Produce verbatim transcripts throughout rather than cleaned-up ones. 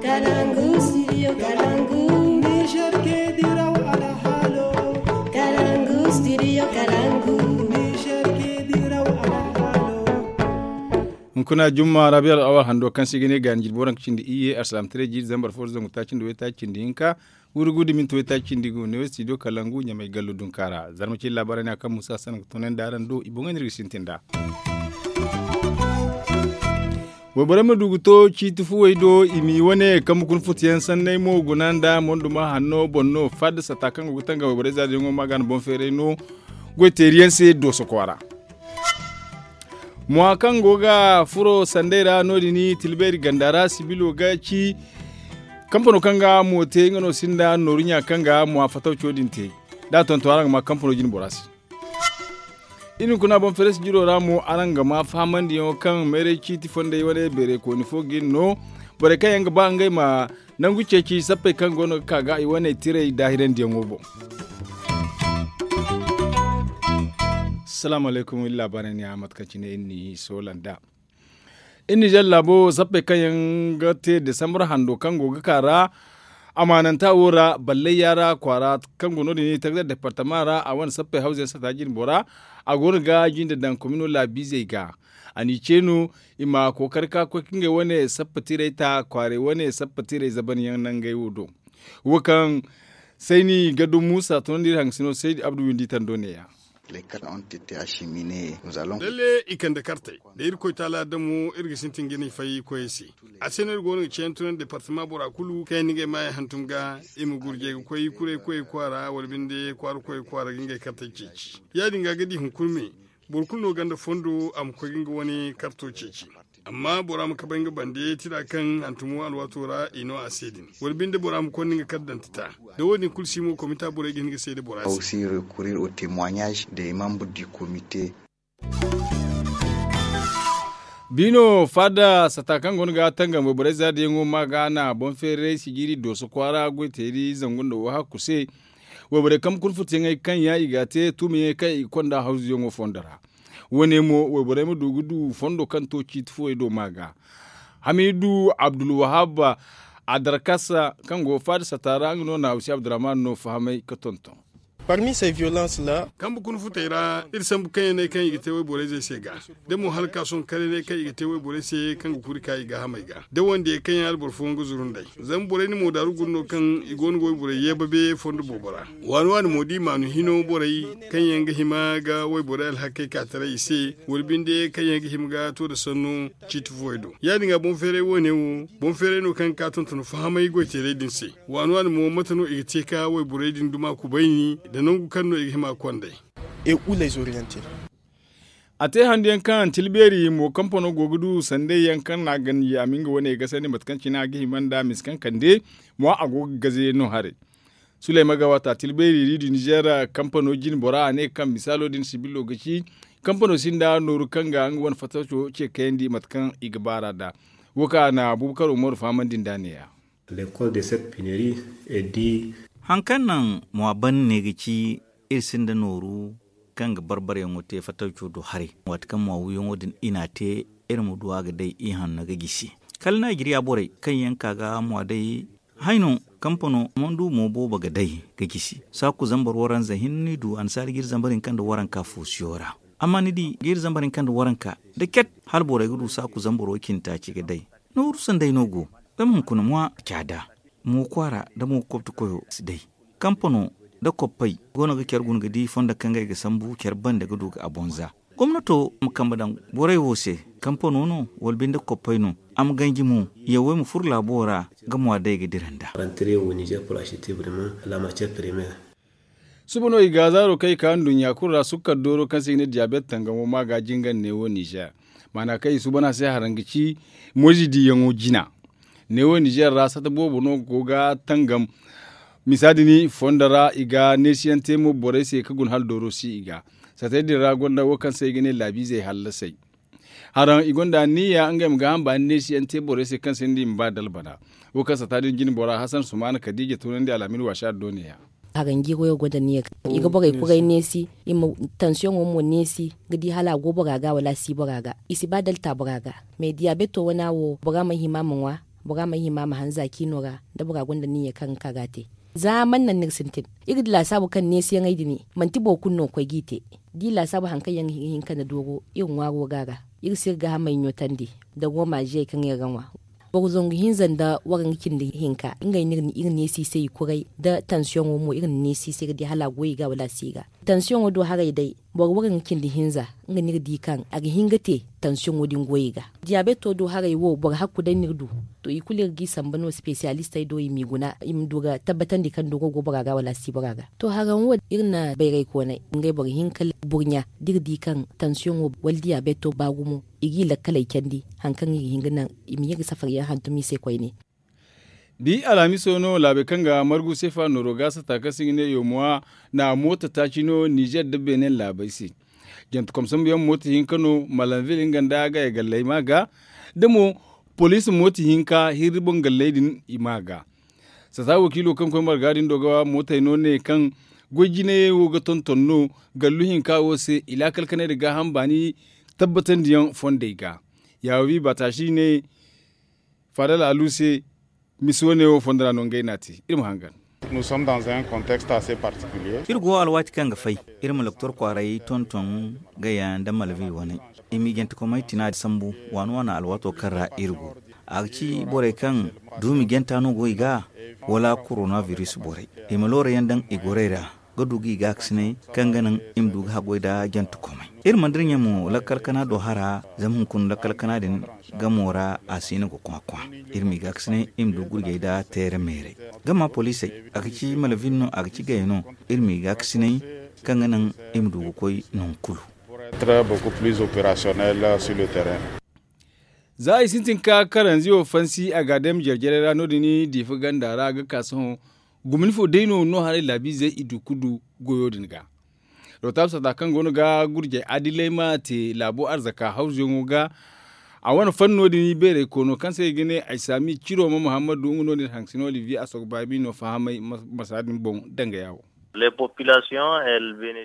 Kalangu studio kalangu. Niger ke diraw alhalo. Kalangu studio kalangu. Niger ke diraw alhalo. Hunkuna jumma rabi al'awar hando kaŋ se i ga ne gaani jirbi waranka cindi iyye alsalam tare jiiri zambar fo zangu taaci nda waytaaci cindi hinka. Wuri gudu minti waytaaci cindi gu ne studio kalangu ɲamay gallo dunka ra zarma ci labaarey ne a kaŋ musa sanaŋ ga toonandi araŋ do i boŋey no iri ga sintin nd'a. Wayborey ma du ga to ciiti fuwey do i m'i wane kambe kuna futuyaŋ sanney mo guna nda monduma hanno boŋ no fadda sata kaŋ go ga tangam wayborey zaadiyaŋo ma ga no boŋ feeray no. Goy teeriyaŋ se dooso kwaara. Mwa kaŋ go ga furo sanday ra no- din tilbeeri ganda ra sibilo ga ci. Kampano kaŋ ga mo te nga no sinda nooru ɲa kaŋ ga mwa fatawco din te. Da a tonton araŋ ga ma kampano jine bora se. Iri hunkuna boŋ feres jiro ra mo araŋ ga ma fahamandiyaŋo kaŋ mayray ciiti fondey wane beeray kooni fo ga iri no. Borey kaŋ yaŋ ga ba ngey ma nangu ceeci sappey kaŋ go no ga ka ga i wane tirey daahirandiyaŋo boŋ. Salaamu alaykum iri laabaarey ne a mate kaŋ cine iri n'i soola nd'a. Iri nizer laabo sappey kaŋ yaŋ ga te desambar hando kaŋ go ga ka ra. Amaananta wo ra ballayya ra kwaara kaŋ go no- din i tagda departama ra a wane sappey hawza yaŋ sata jine bora. A go no ga jinde daŋ komino laabiizey ga. A n'i ce no i ma kookari ka koy ka ngey wane sappa tirey ta kwaarey wane sappa tirey zaban yaŋ nangey wo do. Wo kaŋ sayni gaddo muusa tunandi iri hangasino saydi abdu windi tando neeya. Lalle i kande kartey da irkoy taala damo iri ga sintin ga ni fay koyey se. A se no iri go no ga ceeyaŋ tunandi departama bora kulu kaŋ yaŋ na ngey maayaŋ hantum ga i ma gurjey ga koy kuray koyey kwaara wala binde kwaara koyey kwaara ga ngey kartey ceeci. Ya- din ga a ga di hunkuna me boro kulu no gonda fondo a ma koy ga nga wane karto ceeci. Amma bora ma kabay nga bande tira kaŋ hantumo alwaato ra i no a se din wala binde bora ma konda nga kala dantita. Da wo- din kulu si mo komita borey ga hin ga seeda bora se. Biino faada sata kaŋ go no ga tangam wayborey zaadiyaŋo ma ga na boŋ feeray sijiiri dooso kwaara goyteeri zangu nda wo hakku se. Wayborey kambe kuna futuyaŋey kaŋ ya i ga a te tuumiyaŋey kaŋ i ga konda hawzuyaŋo fondo ra. Wo- ne mo wayborey ma du ga du fondo kaŋ to ciiti fuwey do ma ga. Hamidu abdulwahab adarkasa kaŋ go faada sata ra nga no na hawsi abdurrahman no fahamay ga tonton. Kambe kuna futey ra iri sambu kaŋ yaŋ no ay kaŋ i ga te wayborey zey se ga da mo hala ka sohõ kala yaŋ no ay kaŋ i ga te wayborey se kaŋ ga kuri ka i gaahamey ga da wande kaŋ yaŋ hala boro fooyaŋ ga zuru nd'ey. Zama borey na mo daaru guna no kaŋ i go no ga wayborey yeebabe fondo boobo ra. Waani waani mo da i maanu hino borey kaŋ yaŋ ga hima ga wayborey alhakey ka taray i se wala binde kaŋ yaŋ ga hima ga to nda sanno ciiti fuwey do. Ya- din ga boŋ feeray wo- ne wo boŋ feeray no kaŋ ga ka tonton fahamay goyteeray din se. Waani waani mo mate no i ga te ka wayborey din duma kubayni nda nangu kaŋ no i ga hima ga kond'ey. A te handu yaŋ kaŋ tilbeeri mo kampano go ga du sanday yaŋ kaŋ no a ganji a ma nga wane ga sandi mate kaŋ cine a ga hima nda misa kaŋ kande mo a go ga gaze no haray. Sulayma ga waata tilbeeri ri du nizer kampano jine bora a ne kaŋ misaalo din sibilo ga ci kampano sinda nooru kaŋ ga nga wane fattaco ce kayandi mate kaŋ i ga baar'a nd'a. Wo kaŋ a na buubu karo mooru fahamandi nd'a neeya. Hari kaŋ naŋ mwa ban ne ga ci iri sinda nooru kaŋ ga barbaryaŋo te fattawco do haray waati kaŋ mwa wiyaŋo din i n'a te iri ma du a ga day i hanno ga gisi. Kala naajiriya borey kaŋ yaŋ ka ga mwa day hayno kampano mandu mo boobo ga day ga gisi saaku zambar waranza hinne ni du annasaari ga iri zambar hinka nda waranka foosiyo ra. Amma ni di ga iri zambar hinka nda waranka da ket hala borey ga du saaku zambar way cindi taaci ga day. Nooru sanday no go zama hunkuna mwa caada mo kwaara nda mo kobti koyo si day. Kampano nda koppey go no ga care guna ga di fondo kaŋ ga ay ga sambu care bande ga du ga a bonza. Gomnato ma kambe daŋ borey wo se kampano no wala binde koppey no a ma ganji mo yawey ma furo laabo ra ga mwa day ga dira nd'a. Suba no i ga zaaro kaŋ i ka nduɲɲa kulu ra sukkar dooro kaŋ se i ga ne diyabet tangamo ma ga jingar neewo nizer. Maana kaŋ i suuban a se haraŋ ga ci moyze diiyaŋo jina. Neewo nizer ra sata boobo no go ga tangam. Misa din fondo ra i ga neesiyaŋ te mo borey se ga guna hala dooro si i ga. Satey din ra gonda wo kaŋ se i ga ne laabiizey hallasey. Haraŋ i gonda anniya ngey ma gaaham baani neesiyaŋ te borey se kaŋ se ni di i ma ba dalbana. Wo kaŋ sata din jine bora hasan sumaana kadiija tunandi alhamin waasa do neeya. Haraŋ jiiri wo go nda anniya kaŋ i ga borey kuray neesi i ma tansiyoŋo mo neesi ga di hala a go bora ga wala a si bora ga. I si ba dalta bora ga. Mais diyabeto wana wo bora ma hima ma ŋwa. Bora ma hima ma hanza ciino ra da bora gonda niyyey kaŋ ga ka ga a te. Za man naŋ no iri sintin? Iri di laasaabu kaŋ neesiyaŋey din manti boro kulu no ga koy g'i te. Da i laasaabu hari kaŋ yaŋ ga hin ka na doogo iri ŋwaaro ga a ra. Iri si iri gaahamey ɲootandi nda roomaaziyey kaŋ iri ga ŋwa. Boro zangu hinza nda waranka cindi hinka ngey no iri neesi i se i kuray nda tansiyoŋo mo iri na neesi i se iri di hala a goy i ga wala a si i ga. Tansiyoŋo do haray day boro waranka cindi hinza nga no iri di kaŋ a ga hin ga te tansiyoŋo din goy i ga. Diyabeto do haray wo boro hakku day no iri du. To i kulu iri g'i samba no sipesiyalistey do i m'i guna i ma du ga tabbatandi kaŋ doogo go bora ga wala a si bora ga. To haraŋ wo iri na bayraykooney ngey boro hin ka burɲa da iri di kaŋ tansiyoŋo wala diyabeto ba gumo i g'i lakkaley candi hari kaŋ i ga hin ga naŋ i ma ye ga safariyaŋ hantum i se koyne. Bi alhamiso no laabey kaŋ ga margu sefa nooro ga sata kaŋ se i ga ne yomuwa na mooto taaci no nizer nda benin laabey se. Jantekom sambuyaŋ mooto hinka no malanvil nga nda gaya galley ma ga da mo poliisi mooto hinka hirri boŋ galley din i ma ga. Sata wakiilo kaŋ koy marga din do ga mootey no ne kaŋ goy jinayey wo ga tonton no gallu hinka wo se i laakal kanay nda gaaham baani tabbatandiyaŋ fondey ga. Yaawi baataasi ne faadal alu se. Misi wane wo fondo ra no ngey n'a te iri ma hangan. Iri go alwaati kaŋ ga fay iri ma loktor kwaaray tonton gaya nda malvil wane. I m'i jantekomey tina sambu waani waani alwaato kaŋ ra iri go. A ga ci borey kaŋ duumi janta no go i ga wala koronabiris borey i ma loorayaŋ daŋ i gorey ra ga du ga i gaakasinay kaŋ ga naŋ i ma du ga haggoy nda jantekomey. Iri mana dirɲa mo lakkal kana do hara zama hunkuna lakkal kana din gamo ra a si no ga kwakwa. Iri m'i gaakasinay i ma du gurjey nda teere meerey gama poliisey a ga ci malvin no a ga ci gaya no. Iri m'i gaakasinay kaŋ ga naŋ i ma du ga koy nangu kulu. Za i sintin ka karanzi wo fansi a ga a dayma jare-jarey ra no- din diifa ganda ra a ga ka sohõ. Gumni fo day no no haray laabiizey i du ga du goyo din ga. Rotaab sata kaŋ go no ga gurjey adiley ma te laabo arzaka hawzuyaŋo ga. A wane fanno din beeray koono kaŋ se i ga ne ay saami ciro ma muhammadu nga no din haŋ sino olivier a sogo baabi no fahamay marsa din boŋ dangaya wo.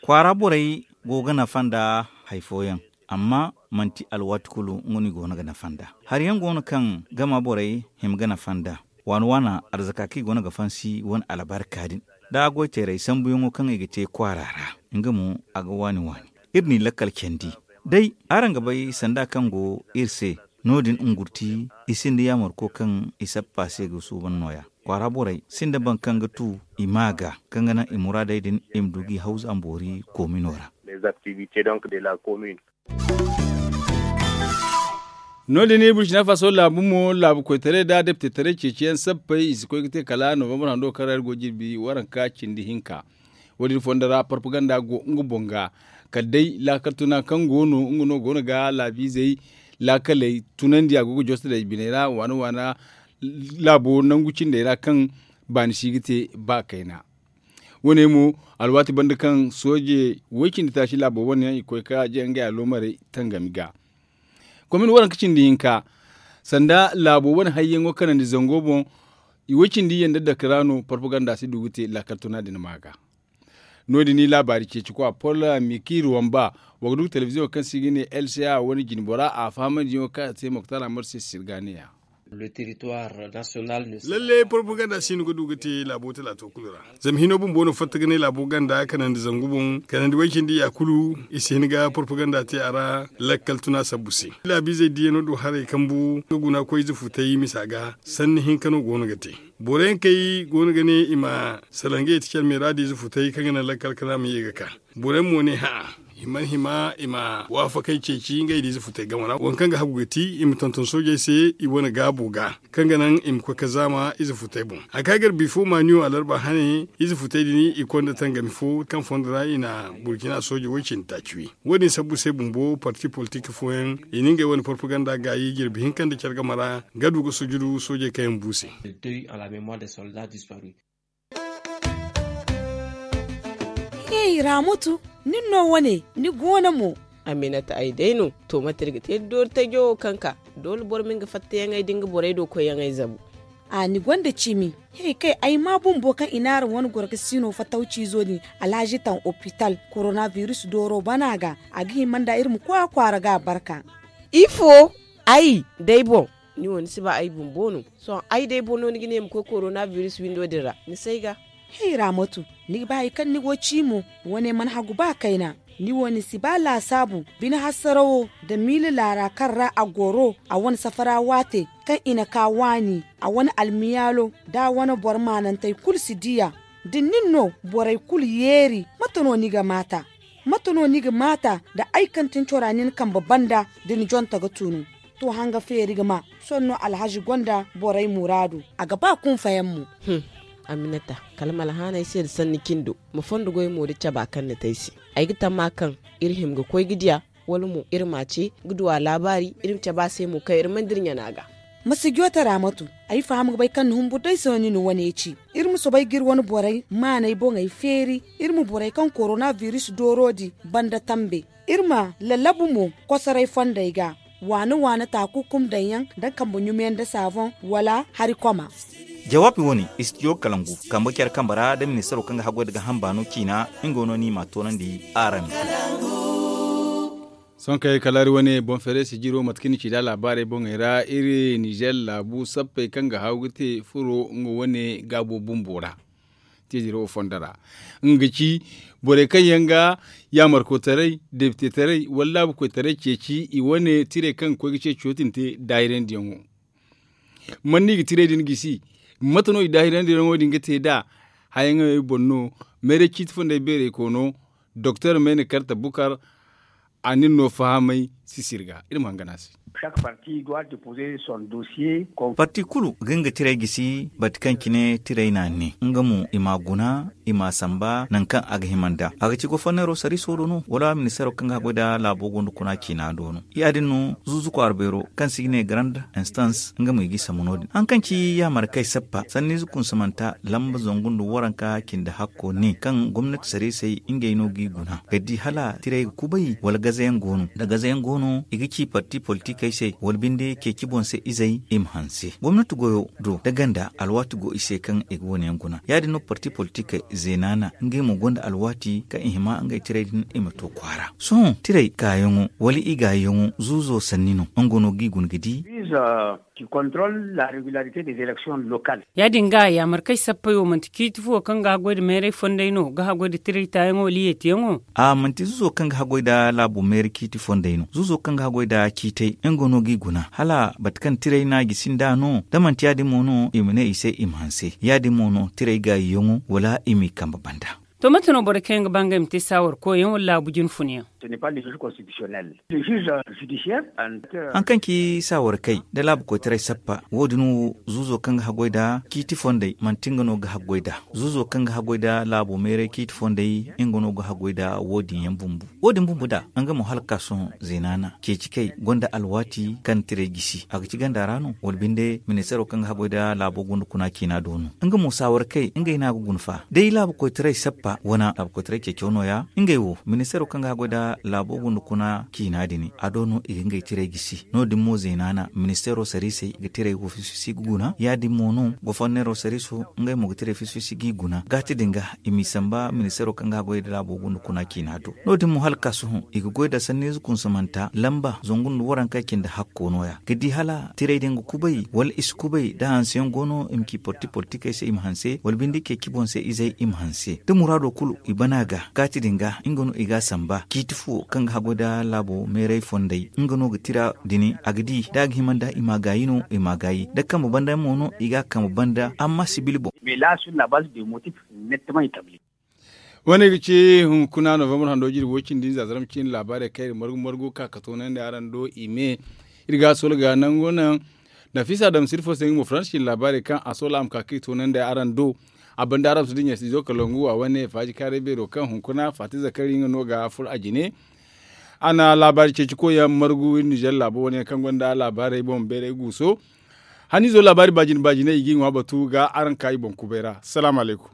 Kwaara borey go ga nafa nda hari fooyaŋ, amma manti alwaati kulu nga no i go no ga nafa nd'a. Hari yaŋ go no kaŋ gama borey hima ga nafa nd'a. Waana waana arzaka kaŋ i go no ga fansi wane albarka din da a goy teeray sambuyaŋo kaŋ i ga te kwaara ra, nga mo a ga waani waani. Iri n'i lakkal candi day araŋ ga bay sanda kaŋ go iri se. No- din ngurti i sinda yaamarko kaŋ i sappa se ga suuban nooya. Kwaara borey sinda boro kaŋ ga tu i ma ga kaŋ ga naŋ i muraadey din i ma du g'i hawza boori koomino ra. No- din burkina faso laabu mo laabu koytaray nda deptetaray ceeciyaŋ sappey i si koy ga te kala novambar hando kaŋ ra iri go jirbi waranka cindi hinka. Wo- din fondo ra parpaganda go nga boŋ ga kala day laakal tuna kaŋ go no nga no go no ga laabiizey laakaley tunandi a go ga joso day biney ra waana waana laabo nangu cindey ra kaŋ baani si ga te ba kayna. Wo- ne mo alwaati banda kaŋ sooje way- cindi taasi laabo wane yaŋ i koy ka jay ngey aloomarey tangami ga. Komin waranka cindi hinka sanda laabo wane hayyaŋo kanandi zango boŋ. I way- cindi yaŋ da dake ra no parpaganda si du ga te laakal tuna din ma ga. No- din i laabaari ceeci kwa pol miki ruwamba. Wa ga du ga telebiziyoŋo kaŋ se i ga ne lca wane jinbora a fahamandiyaŋo kaŋ a te moktar amar se sirga neeya. Lalle propaganda si no ga du ga te laabo talaato kulu ra. Zama hino bumbo no fatta ga ne laabo ganda kanandi zangu boŋ kanandi way- cindi ya kulu i si hin ga propaganda te a ra. Lakkal tuna sabbu se laabiizey diyano do haray kambu ga guna koy ize futay misa ga. Sanni hinka no go no ga te. Boro yaŋ kay go no ga ne i ma salaŋ ga ye ti care meera da ize futay kaŋ ga naŋ lakkal kana ma ye ga ka. Boro yaŋ mo ne ha'a i mana hima i ma waafakay ceeci ngey da ize futay game ra waŋ kaŋ ga hagu ga ti i ma tonton soojey se i wane gaabo ga kaŋ ga naŋ i ma koy ka zaama ize futay boŋ. Hari kaŋ ay gar bifo maaniyo alarba hane ize futay din i konda tangami fo kaŋ fondo ra i na burkina sooje way- cindi taaci wi. Wo- din sabbu se bumbo parti politik fooyaŋ i na ngey wane propaganda gaayi jirbi hinka nda care game ra ga du ga sujudu soojey kaŋ yaŋ bu se. Hey ramutu, nin no wane ni goono mo? Aminata ay day no. To mate iri ga te da doori tajo wo kaŋ ka doole boro ma nga fattayaŋey da nga borey do koyyaŋey zabu. A ni gonda cimi? Hey kay ay ma bumbo kaŋ i n'araŋ wane gorgasiino fatawciizo din alhazi taŋ opital koronabiris dooro bana ga. A ga hima nda iri ma koy a kwaara ga a barka. Ifo? Ay day boŋ. Ni wo ni si ba ay bumbo no. Sohõ ay day boro no ni ga ne ma koy korona biris windo din ra ni si ay ga. Hey raamatu, ni ga ba hari kaŋ ni go ci mo? Wane mana hagu ba kayna. Ni wo ni si ba laasaabu bine hassarawo nda miila laara kaŋ ra a goro a wane safara waate kaŋ i na ka waani a wane almiyaalo da a wane boro maanantey kulu si di a. Da nin no borey kulu yeeri mate no ni ga maata? Mate no ni ga maata nda ay kaŋ tin cora nin kambe banda da ni jonte ga tunu? To hanga feeri ga ma sohõ no alhazi gonda borey muraadu a ga ba kunfayaŋ mo. Aminata, kala ma alhaanay se nda sanni cindo ma fondo goy mo da caba kaŋ ni te ay se. Ay ga tamma kaŋ iri hima ga koy ga diya, wala mo iri m'a ce ga du a laabaari iri ma cabe a se mo kaŋ iri mana dira ɲana ga. Ma si joote raamatu. Ay faham ga bay kaŋ ni humbur day se no ni na wane ci. Iri ma soobay ga iri wane borey maanay boŋey feeri. Iri ma borey kaŋ korona biris dooro di banda tambe. Iri ma lallabu mo kosoray fondey ga waane waane taaku kum daŋ yaŋ nda kambe ɲumiyaŋ nda saaboŋ wala hari koma. Jawaabi wo-ne istijo kalangu kambe care kambe ra nda ministaro kaŋ ga haggoy nda gaaham baano ciina. Nga wo no ni m'a toonandi araŋ. Sohõ kay kala iri wane boŋ feeray sijiro mate kaŋ ni ci nd'a laabaarey boŋey ra iri nizer laabu sappey kaŋ ga haaw ga te furo nga wane gaabo bumbo ra. Tijiro wo fondo ra nga ga ci borey kaŋ yaŋ ga yaamarkoytaray depitetaray wala laabukoytaray ceeci i wane tirey kaŋ ga koy ga ceeciyo din te daahirandiyaŋo. Man no i ga tirey din gisi? Mate no i daahirandiyaŋo din ga te nd'a? Hayaŋey boŋ no mayray ciiti fondey beerey koono doktor mayna karte bukar. A na iri no fahamay sisiri ga iri ma hangan a se. Parti kulu ga nga tirey gisi bate kaŋ cine tirey n'a ne nga mo i m'a guna i m'a samba nangu kaŋ a ga hima nd'a a ga ci goforneero sariiso do no wala ministeero kaŋ ga haggoy nda laabo gonda kuna ciina do no. Ya- din no zuuzu kwaara beero kaŋ se i ga ne garande instans nga mo i g'i sambu no- din hari kaŋ ci yaamarkey sappa sanniize kunsamanta lamba zangu nda waranka cindi hakko ne kaŋ gomnati sariisey ngey no g'i guna ga di hala tirey ga kubay wala gazayaŋ go no da gazayaŋ go no i ga ci parti politikey se wala binde ceeci boŋ se izey i ma hanse gomnati goyo do da ganda alwaati go i se kaŋ i ga wane yaŋ guna ya- din no parti politikey zeena na ngey mo gonda alwaati kaŋ i hima ngey tirey din i ma to kwaara sohõ tirey kaayaŋo wala i gaayaŋo zuuzo sanni no nga no g'i guna ga di. Ya- din ga yaamarkey sappey wo manti ciiti fo kaŋ ga haggoy nda mayray fondey no ga haggoy nda tirey taayaŋo wala yeetiyaŋo? A manti zuuzo kaŋ ga haggoy nda laabo mayray ciiti fondey no zuuzo kaŋ ga haggoy nda ciitey nga no g'i guna hala bate kaŋ tirey no a gisi nd'a no da manti ya- din mo no i ma ne i se i ma hanse ya- din mo no tirey gaayiyaŋo wala i m'i kambe banda. To mate no borey kaŋ yaŋ ga ba ngey ma te saawar koyyaŋ wala laabu jine funyaŋ? Hari kaŋ ci saawarkey nda laabu koytaray sappa wo- din wo zuuzo kaŋ ga haggoy nda ciiti fondey manti nga no ga haggoy nd'a. Zuuzo kaŋ ga haggoy nda laabo mayray ciiti fondey nga no ga haggoy nda wo- din yaŋ bumbo wo- din bumbo nd'a nga mo hala ga ka sohõ zeena na ceeci kay gonda alwaati kaŋ tirey gisi a ga ci ganda ra no wala binde ministeero kaŋ ga haggoy nda laabo gunda kuna ciina do no. Nga mo saawarkey ngey no a ga guna fa day laabu koytaray sappa wane laabu koytaray ceeco nooya ngey wo ministeero kaŋ ga haggoy nda laabo gunda kuna ciina din a do no i ga ngey tirey gisi no- din mo zeena na ministeero sariisey ga tirey wo fisi-fisi ga guna ya- din mo no goforneero sariiso ngey mo ga tirey fisi-fisi g'i guna gaati din ga i m'i samba ministeero kaŋ ga haggoy nda laabo gunda kuna ciina do no- din mo hala ga ka sohõ i ga goy nda sanniize kunsamanta lamba zangu nda waranka cindi hakko nooya ga di hala tirey din ga kubay wala i si kubay da hanseyaŋ go no i ma ci parti politikey se i ma hanse wala binde ceeci boŋ se izey i ma hanse da muraado kulu i bana ga gaati din ga nga no i g'a samba ciiti fo kaŋ ga haggoy nda laabo mayray fondey nga no ga tira din a ga di da a ga hima nd'a i m'a gaayi no i m'a gaayi da kambe banda mo no i g'a kambe banda amma sibil boŋ. Wane ga ci hunkuna novembre hando jirbi way cindi nza zarma cindi laabaarey kaŋ iri margu margu ka ka toonandi araŋ do i me. Iri ga a soola ga nangu naŋ nafisa dam sirfo se nga mo faransa cindi laabaarey kaŋ a soola a ma ka ka i toonandi araŋ do. A banda araŋ ma si dinya si izo kalangu a wane faaji kaaray beero kaŋ hunkuna faati zakari nga no ga furo a jine. A na laabaari ceeci koyyaŋ margu iri nizer laabo wane yaŋ kaŋ gonda laabaarey boŋ beeray guuso. Haniizo laabaari baajine baajine i g'i ŋwa batu ga araŋ ka i boŋ kubay ra salaamu alaykum.